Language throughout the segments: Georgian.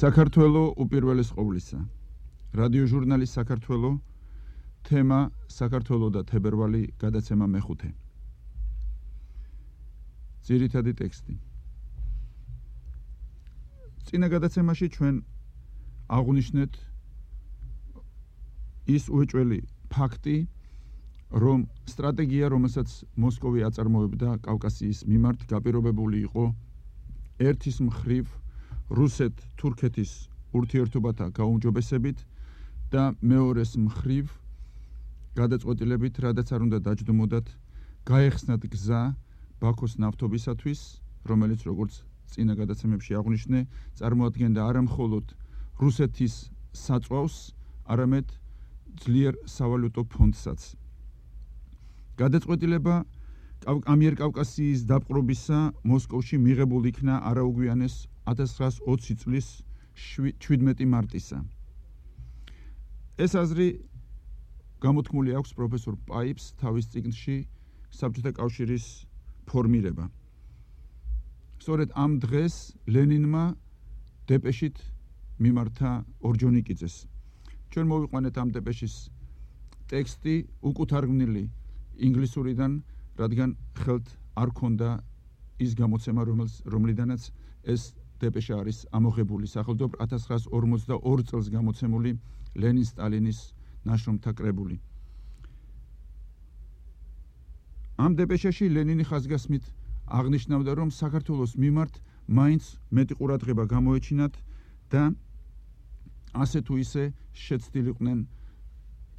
საქართველო უპირველეს ყოვლისა. რადიო ჟურნალი საქართველო, თემა საქართველო და თებერვალი, გადაცემა მეხუთე. ძირითადი ტექსტი. წინა გადაცემაში ჩვენ აღვნიშნეთ ის უეჭველი ფაქტი, რომ სტრატეგია, რომელსაც მოსკოვი აწარმოებდა კავკასიის მიმართ, გაპირობებული იყო ერთის მხრივ რუსეთ-თურქეთის ურთიერთობათა გაუმჯობესებით და მეორეს მხრივ გადაწყვეტილებით, რადგან არ უნდა დაჯდომოდათ, გაეხსნათ გზა ბაქოს ნავთობისათვის, რომელიც როგორც წინა გადაცემებში აღვნიშნე, წარმოადგენდა არა მხოლოდ რუსეთის საწვავს, არამედ ძლიერ სავალუტო ფონდსაც. გადაწყვეტილება ამიერკავკასიის დაპყრობისა მოსკოვში მიღებულ იქნა არაუგვიანეს 1920 წლის 17 მარტისა. ეს აზრი გამოთქმული აქვს პროფესორ პაიპს თავის წიგნში საბჭოთა კავშირის ფორმირება. სწორედ ამ დღეს ლენინმა დეპეშით მიმართა ორჯონიკიძეს. ჩვენ მოვიყვანეთ ამ დეპეშის ტექსტი უკუთარგმნილი ინგლისურიდან, რადგან ხელთ არ ქონდა ის გამოცემა, რომლიდანაც ეს დეპეშა არის ამოღებული, სახელმწიფო 1942 წელს გამოცემული ლენინ-სტალინის ნაშრომთა კრებული. ამ დეპეშაში ლენინი ხაზგასმით აღნიშნავდა, რომ საქართველოს მიმართ მაინც მეტი ყურადღება გამოეჩინათ და ასე თუ ისე შეცდილიყვნენ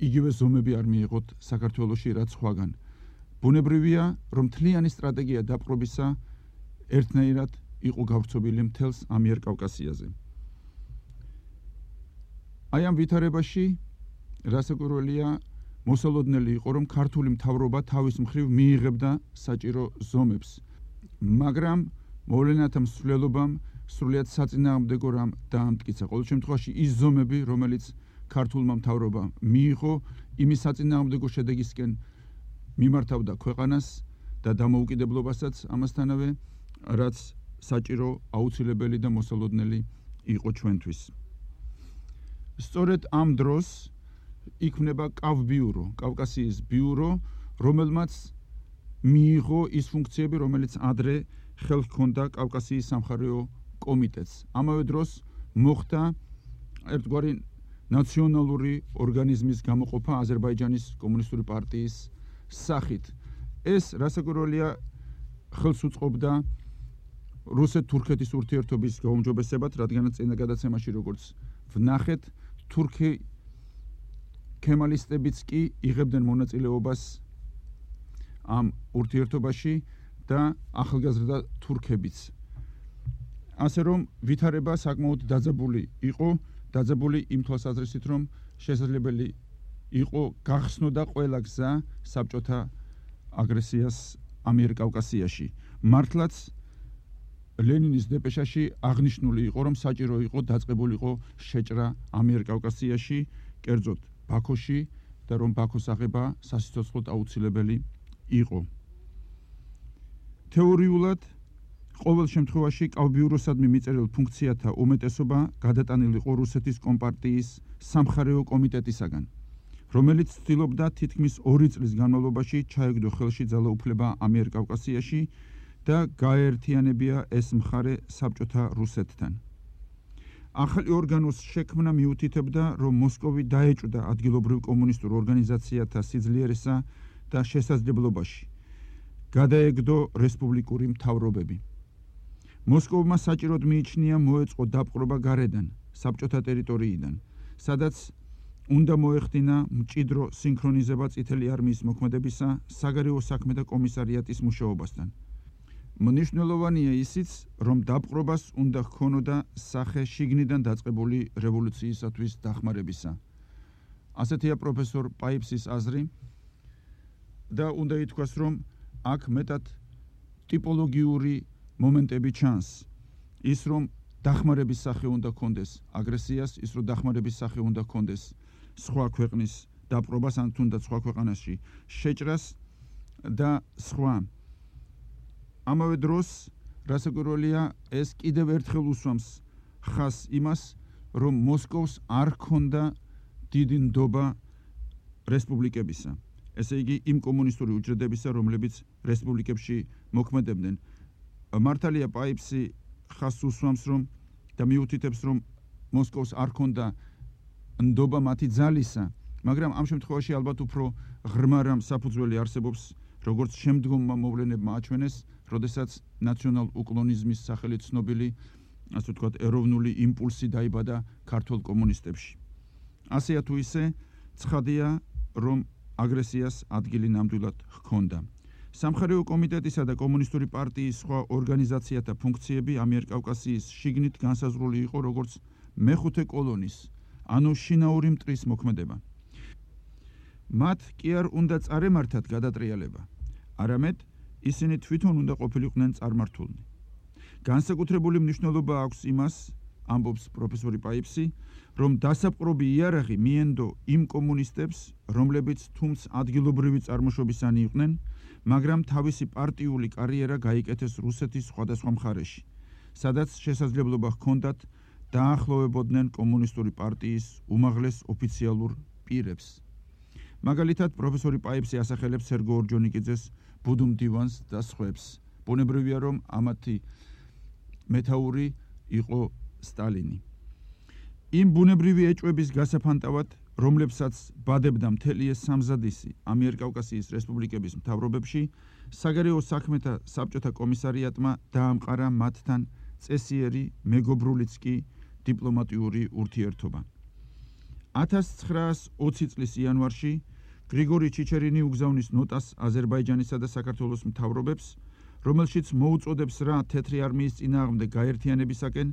იგივე ზომები არ მიიღოთ საქართველოში, რაც სხვაგან. ბუნებრივია, რომ მთლიანი სტრატეგია დაპყრობისა ერთნაირად იყო გავრცობილი მთელს ამიერკავკასიაზე. აი ამ ვითარებაში რასაკვირველია, მოსალოდნელი იყო, რომ ქართული მთავრობა თავის მხრივ მიიღებდა საჭირო ზომებს, მაგრამ მოვლენათა მსვლელობამ სრულიად საწინააღმდეგო რამ დაამტკიცა. ყოველ შემთხვევაში ის ზომები, რომელიც ქართულმა მთავრობამ მიიღო, იმის საწინააღმდეგო შედეგისკენ მიმართავდა ქვეყანას და დამოუკიდებლობასაც ამასთანავე, რაც საჭირო, აუცილებელი და მოსალოდნელი იყო ჩვენთვის. სწორედ ამ დროს იქმნება კავბიურო, კავკასიის ბიურო, რომელმაც მიიღო ის ფუნქციები, რომელიც ადრე ხელს ჰქონდა კავკასიის სამხარეო კომიტეტს. ამავე დროს მოხდა ერთგვარი ნაციონალური ორგანიზმის გამოყოფა აზერბაიჯანის კომუნისტური პარტიის სახით. ეს რასაკვირველია ხელს უწყობდა რუსეთ-თურქეთის ურთიერთობის გაუმჯობესებად, რადგანაც წინა გადაცემაში როგორც ვნახეთ, თურქი ქემალისტებიც კი იღებდნენ მონაწილეობას ამ ურთიერთობაში და ახალგაზრდა თურქებიც. ასე რომ ვითარება საკმაოდ დაძაბული იყო, დაძაბული იმ თვალსაზრისით, რომ შესაძლებელი იყო გახსნოდა ყველა გზა საბჭოთა აგრესიას ამიერკავკასიაში. მართლაც ლენინის დეპეშაში აღნიშნული იყო, რომ საჭირო იყო დაწყებულიყო შეჭრა ამიერკავკასიაში, კერძოდ ბაქოში და რომ ბაქოს აღება სასიცოცხლოდ აუცილებელი იყო. თეორიულად ყოველ შემთხვევაში კავბიუროსადმი მიწერილ ფუნქციათა უმეტესობა გადატანილი იყო რუსეთის კომპარტიის სამხარეო კომიტეტისაგან, რომელიც ცდილობდა თითქმის 2 წლის განმავლობაში ჩაეგდო ხელში ძალაუფლება ამიერკავკასიაში და გაეერთიანებია ეს მხარე საბჭოთა რუსეთთან. ახალი ორგანოს შექმნა მიუთითებდა, რომ მოსკოვი დაეჭვდა ადგილობრივ კომუნისტურ ორგანიზაციათა სიძლიერესა და შესაძლებლობაში. გადაეგდო რესპუბლიკური მთავრობები. მოსკოვმა საჭიროდ მიიჩნია მოეწყო დაპყრობა გარედან, საბჭოთა ტერიტორიიდან, სადაც უნდა მოეხდინა მჭიდრო სინქრონიზება წითელი არმიის მოქმედებისა, საგარეო საქმეთა კომისარიატის მუშაობასთან. მნიშვნელოვანია ისიც, რომ დაპყრობას უნდა ჰქონოდა სახე შიგნიდან დაწყებული რევოლუციისათვის დახმარებისა. ასეთია პროფესორ პაიპსის აზრი და უნდა ითქვას, რომ აქ მეტად ტიპოლოგიური მომენტები ჩანს. ის რომ დახმარების სახე უნდა ჰქონდეს აგრესიას, ის რომ დახმარების სახე უნდა ჰქონდეს სხვა ქვეყნის დაპყრობას, ან თუნდაც სხვა ქვეყანაში შეჭრას და სხვა. ამავე დროს რასაკვირველია, ეს კიდევ ერთხელ უსვამს ხას იმას, რომ მოსკოვს არ ჰქონდა დიდი ნდობა რესპუბლიკებისა. ესე იგი იმ კომუნისტური უჯრედებისა, რომლებიც რესპუბლიკებში მოქმედებდნენ. მართალია პაიფსი ხას უსვამს რომ და მიუთითებს რომ მოსკოვს არ ჰქონდა ნდობა მათი ძალისა, მაგრამ ამ შემთხვევაში ალბათ უფრო ღრმა რამ საფუძველი არსებობს, როგორც შემდგომმა მოვლენებმა აჩვენეს, როდესაც ნაციონალ-უკლონიზმის სახელით ცნობილი, ასე ვთქვათ, ეროვნული იმპულსი დაიბადა ქართველ კომუნისტებში. ასეა თუ ისე, ცხადია, რომ აგრესიას ადგილი ნამდვილად ჰქონდა. სამხარეო კომიტეტისა და კომუნისტური პარტიის სხვა ორგანიზაციათა ფუნქციები ამიერკავკასიის შიგნით განსაზღვრული იყო როგორც მეხუთე კოლონის, ანუ შინაური მტრის მოქმედება. მათ კი არ უნდა წარემართათ გადატრიალება, არამედ ისინი თვითონ უნდა ყოფილიყვნენ წარმართულნი. განსაკუთრებული მნიშვნელობა აქვს იმას, ამბობს პროფესორი პაიფსი, რომ დასაპყრობი იარაღი მიენდო იმ კომუნისტებს, რომლებიც თუმც ადგილობრივი წარმოშობისანი იყვნენ, მაგრამ თავისი პარტიული კარიერა გაიკეთეს რუსეთის სხვადასხვა მხარეში, სადაც შესაძლებლობა ჰქონდათ დაახლოვებოდნენ კომუნისტური პარტიის უმაღლეს ოფიციალურ პირებს. მაგალითად, პროფესორი პაიფსი ასახელებს სერგო ორჯონიკიძეს, ბუდუმ დივანს და სხვებს. ბუნებრივია, რომ ამათი მეთაური იყო სტალინი. იმ ბუნებრივი ეჭვების გასაფანტავად, რომლებსაც ბადებდა მთელი ეს სამზადისი ამიერკავკასიის რესპუბლიკების მთავრობებში, საგარეო საქმეთა საბჭოთა კომისარიატმა დაამყარა მათთან წესიერი, მეგობრულიც კი დიპლომატიური ურთიერთობა. 1920 წლის იანვარში გრიგორი ჩიჩერინი უგზავნის ნოტას აზერბაიჯანისა და საქართველოს მთავრობებს, რომელშიც მოუწოდებს რა თეთრი არმიის წინააღმდეგ გაერთიანებისაკენ,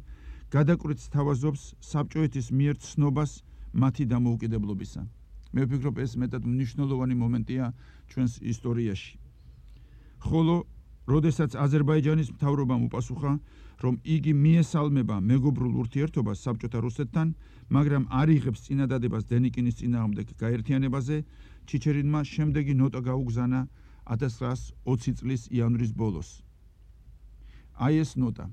გადაკვეთს თავაზობს საბჭოეთის მიერ ცნობას მათი დამოუკიდებლობისა. მე ვფიქრობ, ეს მეტად მნიშვნელოვანი მომენტია ჩვენს ისტორიაში. ხოლო, როდესაც აზერბაიჯანის მთავრობამ უპასუხა, რომ იგი მიესალმება მეგობრულ ურთიერთობას საბჭოთა რუსეთთან, მაგრამ არ იღებს წინადადებას დენიკინის წინააღმდეგ გაერთიანებაზე, ჩიჩერინმა შემდეგი ნოტა გაუგზავნა 1920 წლის იანვრის ბოლოს. აი ეს ნოტა.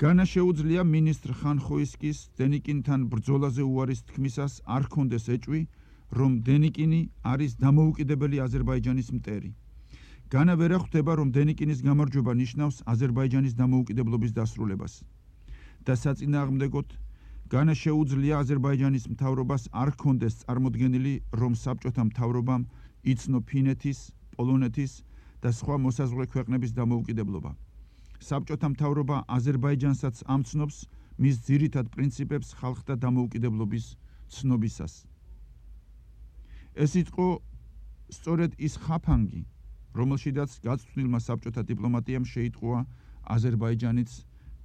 განა შეუძლია მინისტრ ხანხოისკის დენიკინთან ბრძოლაზე უარის თქმისას არ ჰქონდეს ეჭვი, რომ დენიკინი არის დამოუკიდებელი აზერბაიჯანის მტერი. განა ვერ ხვდება, რომ დენიკინის გამარჯვება ნიშნავს აზერბაიჯანის დამოუკიდებლობის დასრულებას. და საწინააღმდეგოდ, განა შეუძლია აზერბაიჯანის მთავრობას არ ჰქონდეს წარმოდგენილი, რომ საბჭოთა მთავრობამ იცნო ფინეთის, პოლონეთის და სხვა მოსაზღვრე ქვეყნების დამოუკიდებლობა. საბჭოთა მთავრობა აზერბაიჯანსაც ამცნობს მის ძირითად პრინციპებს ხალხთა დამოუკიდებლობის ცნობისას. ეს იყო სწორედ ის ხაფანგი, რომელშიდაც გაწვრთნილმა საბჭოთა დიპლომატიამ შეიტყუა აზერბაიჯანიც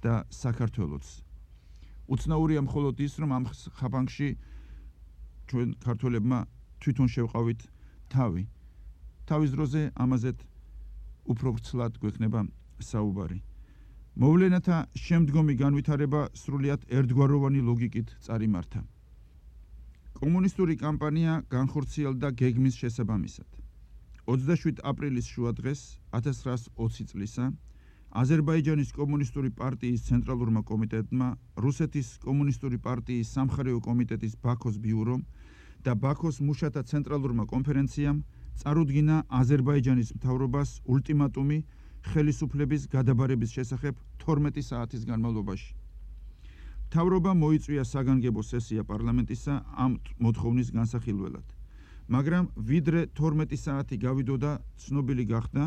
და საქართველოც. უცნაურია მხოლოდ ის, რომ ამ ხაფანგში ჩვენ ქართველებმა თვითონ შევყავით თავი. თავის დროზე ამაზეთ უფრო ვრცლად გვექნება საუბარი. მოვლენათა შემდგომი განვითარება სრულიად ერთგვაროვანი ლოგიკით წარიმართა. კომუნისტური კამპანია განხორციელდა გეგმის შესაბამისად. 27 აპრილის შუადღეს 1920 წლისა აზერბაიჯანის კომუნისტური პარტიის ცენტრალურმა კომიტეტმა, რუსეთის კომუნისტური პარტიის სამხარეო კომიტეტის ბაქოს ბიურომ და ბაქოს მუშათა ცენტრალურმა კონფერენციამ წარუდგინა აზერბაიჯანის მთავრობას ულტიმატუმი ხელისუფლების გადაბარების შესახებ 12 საათის განმავლობაში. მთავრობამ მოიწვია საგანგებო სესია პარლამენტისა ამ მოთხოვნის განსახილველად, მაგრამ ვიდრე 12 საათი გავიდოდა, ცნობილი გახდა,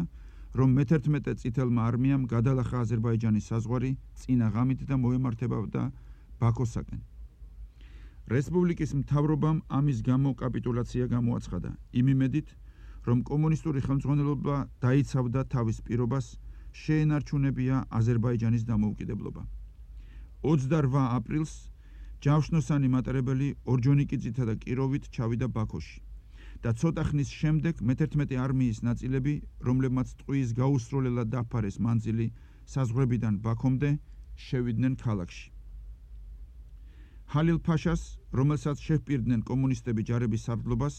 რომ მე-11 წითელმა არმიამ გადალახა აზერბაიჯანის საზღვარი წინა ღამით და მოემართებოდა ბაქოსაკენ. რესპუბლიკის მთავრობამ ამის გამო კაპიტულაცია გამოაცხადა, იმ იმედით, რომ კომუნისტური ხელმძღვანელობა დაიცავდა თავის პირობას, შეენარჩუნებია აზერბაიჯანის დამოუკიდებლობა. 28 აპრილს ჯავშნოსანი მატარებელი ორჯონიკიძითა და კიროვით ჩავიდა ბაქოში და ცოტა ხნის შემდეგ მე-11 არმიის ნაწილები, რომლებმაც ტყუის გაუსროლელად დაფარეს მანძილი საზღვრებიდან ბაქომდე, შევიდნენ ქალაქში. ჰალილ ფაშას, რომელსაც შეჰპირდნენ კომუნისტები ჯარების სარდლობას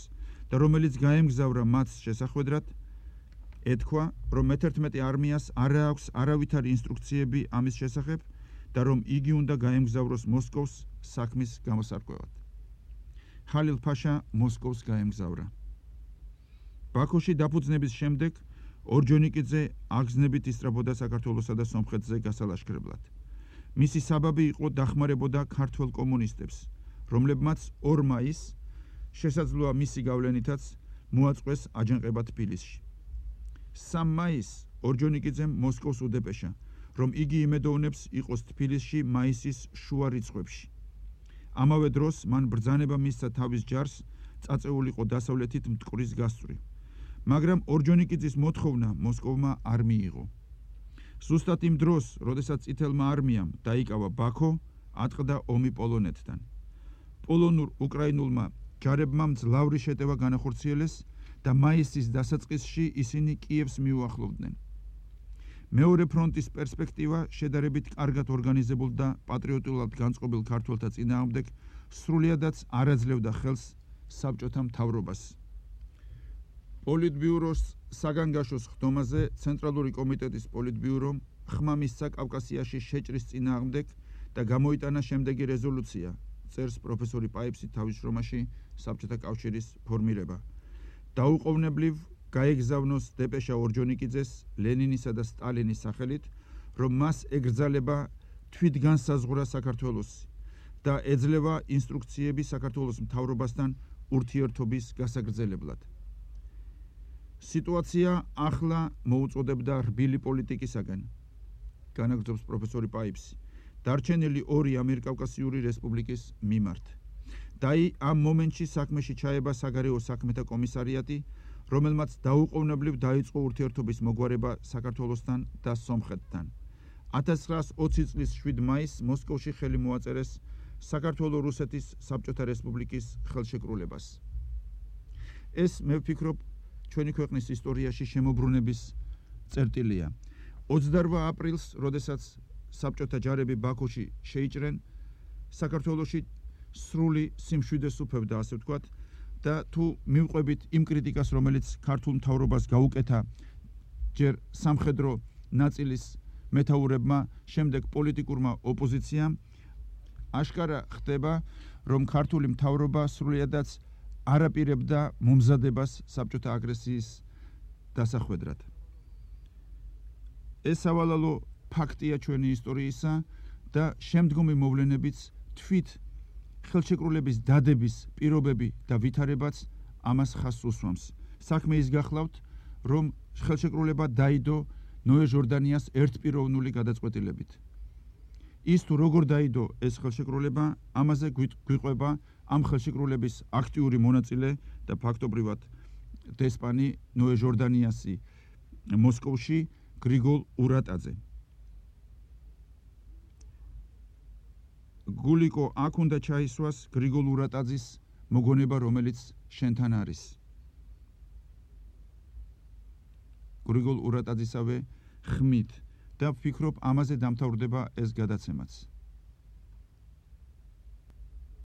და რომელიც გაემგზავრა მათ შესახვედრად, ეთქვა, რომ მე-11 არმიას არ აქვს არავითარი ინსტრუქციები ამის შესახებ და რომ იგი უნდა გაემგზავროს მოსკოვს საქმის გამოსარკვევად. ხალილ-ფაშა მოსკოვს გაემგზავრა. ბაქოში დაფუძნების შემდეგ ორჯონიკიძე აგზნებით ისწრაფოდა საქართველოსა და სომხეთზე გასალაშქრებლად. მისი საბაბი იყო დახმარებოდა ქართველ კომუნისტებს, რომლებმაც 2 მაისს შესაძლოა მისი გავლენითაც მოაწყვეს აჯანყება თბილისში. 3 მაისს ორჯონიკიძემ მოსკოვს უდეპეშა, რომ იგი იმედოვნებს იყოს თბილისში მაისის შუა რიცხვებში. ამავე დროს მან ბრძანება მისცა თავის ჯარს წაწეულიყო დასავლეთით მტკვრის გასწვრივ, მაგრამ ორჯონიკიძის მოთხოვნა მოსკოვმა არ მიიღო. ზუსტად იმ დროს, როდესაც წითელმა არმიამ დაიკავა ბაქო, ატყდა ომი პოლონეთთან. პოლონურ უკრაინულმა ჯარებმა მძლავრი შეტევა განახორციელეს და მაისის დასაწყისში ისინი კიევს მიუახლოვდნენ. მეორე ფრონტის პერსპექტივა შედარებით კარგად ორგანიზებულ და პატრიოტულად განწყობილ ქართველთა წინააღმდეგ სრულიადაც არ აძლევდა ხელს საბჭოთა მთავრობას. პოლიტბიუროს საგანგაშოს ხდომაზე ცენტრალური კომიტეტის პოლიტბიურომ ხმა მისცა კავკასიაში შეჭრის წინააღმდეგ და გამოიტანა შემდეგი რეზოლუცია, წერს პროფესორი პაიფსი თავის შრომაში საბჭოთა კავშირის ფორმირება. დაუყოვნებლივ გაეგზავნოს დეპეშა ორჯონიკიძეს ლენინისა და სტალინის სახელით, რომ მას ეგრძალება თვითგანსაზღვრა საქართველოსი და ეძლევა ინსტრუქციები საქართველოს მთავრობასთან ურთიერთობის გასაგრძელებლად. სიტუაცია ახლა მოუწოდებდა რბილი პოლიტიკისაგან, განაგრძობს პროფესორი პაიფსი, დარჩენილი 2 ამიერკავკასიური რესპუბლიკის მიმართ. დაი ამ მომენტში საქმეში ჩაება საგარეო საქმეთა კომისარიატი, რომელმაც დაუყოვნებლივ დაიწყო ურთიერთობის მოგვარება საქართველოსთან და სომხეთთან. 1920 წლის 7 მაისს მოსკოვში ხელი მოაწერეს საქართველო-რუსეთის საბჭოთა რესპუბლიკის ხელშეკრულებას. ეს მე ვფიქრობ ჩვენი ქვეყნის ისტორიაში შემოbrunების წერტილია. 28 აპრილს, როდესაც საბჭოთა ჯარები ბაქოში შეიჭრენ, საქართველოში სრული სიმშვიდეს უფევდა, ასე ვთქვათ, და თუ მივყვებით იმ კრიტიკას, რომელიც ქართულ მთავრობას გაუკეთა ჯერ სამხედრო ნაწილის მეთაურებმა, შემდეგ პოლიტიკურმა ოპოზიციამ, აშკარა ხდება, რომ ქართული მთავრობა სრულიადაც არ აპირებდა მომზადებას საბჭოთა აგრესიის დასახვედრად. ეს სავალალო ფაქტია ჩვენი ისტორიისა და შემდგომი მოვლენებიც თვით ხელშეკრულების დადების პირობები და ვითარებაც ამას ხაზს უსვამს. საქმე ის გახლავთ, რომ ხელშეკრულება დაიდო ნოე ჟორდანიას ერთპიროვნული გადაწყვეტილებით. ის თუ როგორ დაიდო ეს ხელშეკრულება, ამაზე გვიყვება ამ ხელშეკრულების აქტიური მონაწილე და ფაქტობრივად დესპანი ნოე ჟორდანიასი მოსკოვში გრიგოლ ურატაძე. გულიკო აქ უნდა ჩაისვას გრიგოლ ურატაძის მოგონება, რომელიც შენთან არის. გრიგოლ ურატაძისავე ხმით და ვფიქრობ ამაზე დამთავრდება ეს გადაცემაც.